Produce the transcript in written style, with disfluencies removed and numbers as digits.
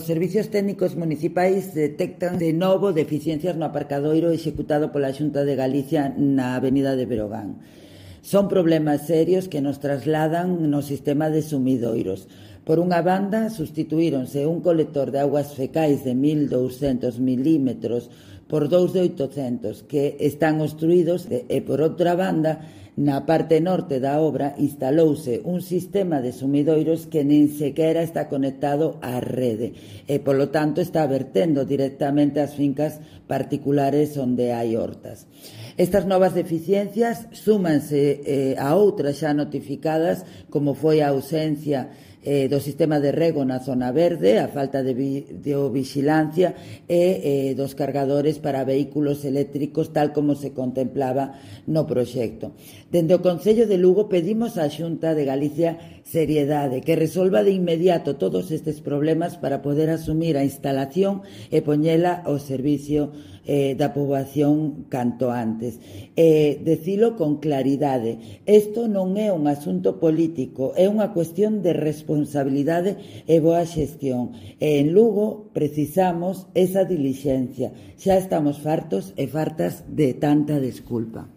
servicios técnicos municipais detectan de novo deficiencias no aparcadoiro executado pola Xunta de Galicia na Avenida de Berogán. Son problemas serios que nos trasladan no sistema de sumidoiros. Por unha banda, sustituíronse un colector de augas fecais de 1.200 milímetros por dous de 800 que están obstruídos e, por outra banda, na parte norte da obra instalouse un sistema de sumidoiros que nin sequera está conectado á rede e, polo tanto, está vertendo directamente ás fincas particulares onde hai hortas. Estas novas deficiencias súmanse a outras xa notificadas, como foi a ausencia do sistema de rego na zona verde, a falta de videovigilancia e dos cargadores para vehículos eléctricos tal como se contemplaba no proxecto. Dende o Concello de Lugo pedimos á Xunta de Galicia seriedade, que resolva de inmediato todos estes problemas para poder asumir a instalación e poñela ao servicio da poboación canto antes. Decilo con claridade, isto non é un asunto político, é unha cuestión de responsabilidade e boa xestión. E en Lugo precisamos esa dilixencia. Xa estamos fartos e fartas de tanta desculpa.